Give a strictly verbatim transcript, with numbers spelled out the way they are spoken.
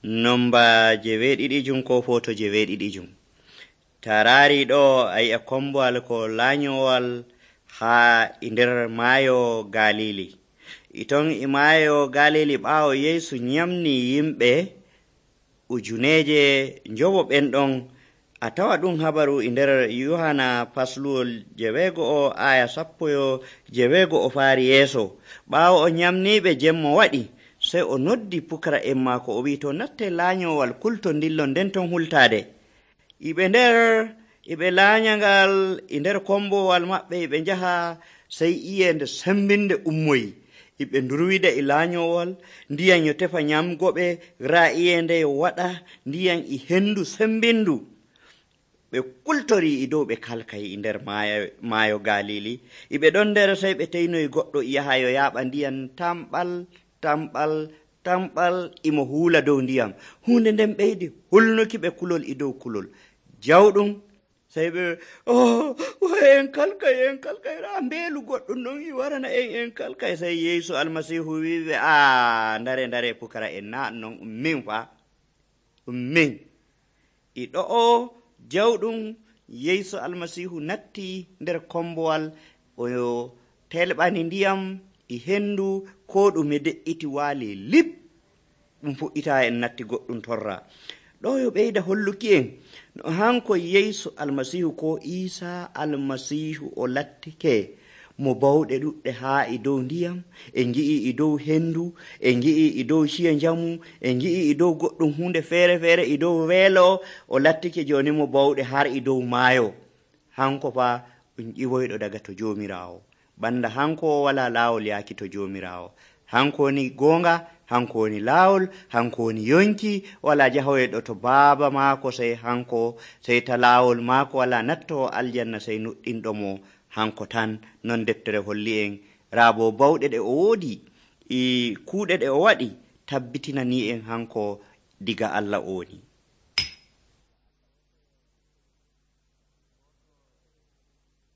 Nomba jeweɗiɗijum ko foto jeweɗiɗijum. Tarari ɗo a yi'a kombowal ko laanyowal ha nder maayo Galili. Iton e maayo Galili ɓaawo Yeesu nyamni yimɓe ujuneje njowo ɓenɗon. A tawa ɗum habaru e nder Yohana fasluwol jeweego o aya sappo yo jeweego o faari yeeso. Ɓaawo o nyamniɓe jemmo waɗi, sey o noddi pukara'en maako o wi to natte laanyowal kulto ndillon nden ton hultade. Iɓe nder iɓe laanyangal e nder kombowal maɓɓe iɓe njaha, sey iyende sembinde ummoyi. Iɓe ndurwida e laanyowal, ndiyam yo tefa nyamgoɓe, raa iyende yo waɗa ndiyam e hendu sembindu. Ɓe kultori e dow ɓe kalkay e nder maayo, maayo Galili. Iɓe ɗon nder sey ɓe teynoyi goɗɗo yaha yo yaaɓa ndiyam tamɓal tamɓal tamɓal imo huula dow ndiyam. Hunde nden ɓeydi hulnuki ɓe kulol e dow kulol jawɗum. Sey ɓe oh en kalkay en kalkay raa mbeelu goɗɗum ɗon i warana en en kalkay. Sey Yeesu Almasiihu wiɓe a ndare ndare pukara en na non ɗum min fa ɗum min. E ɗo o jawɗum Yeesu Almasiihu natti nder kombowal o telɓani ndiyam e hendu ko ɗume de'iti waali lip ɗum fuɗɗita en natti goɗɗum torra. Ɗo yo ɓeyda holluki en no hanko Yeesu Almasiihu ko Iisa Almasiihu o lattike mo bawɗe ɗuɗɗe haa e dow ndiyam, en ngi'i e dow hendu, en ngi'i e dow ciya njamu, en ngi'i e dow goɗɗum hunde feere feere e dow weelo. O lattike joni mo bawɗe har e dow maayo. Hanko fa ɗum ƴiwoyɗo daga to Joomiraawo. Banda hanko wala laawol yaaki to Joomiraawo. Hanko woni goonga, hanko woni laawol, hanko woni yonki, wala jahoyɗo to baaba maako sey hanko, sey ta laawol maako wala natto aljanna sey nuɗɗinɗomo hanko tan. Non deftere holli en raabo bawɗe ɗe o woodi e kuuɗe ɗe o waɗi tabbitinani en hanko diga Allah o woni.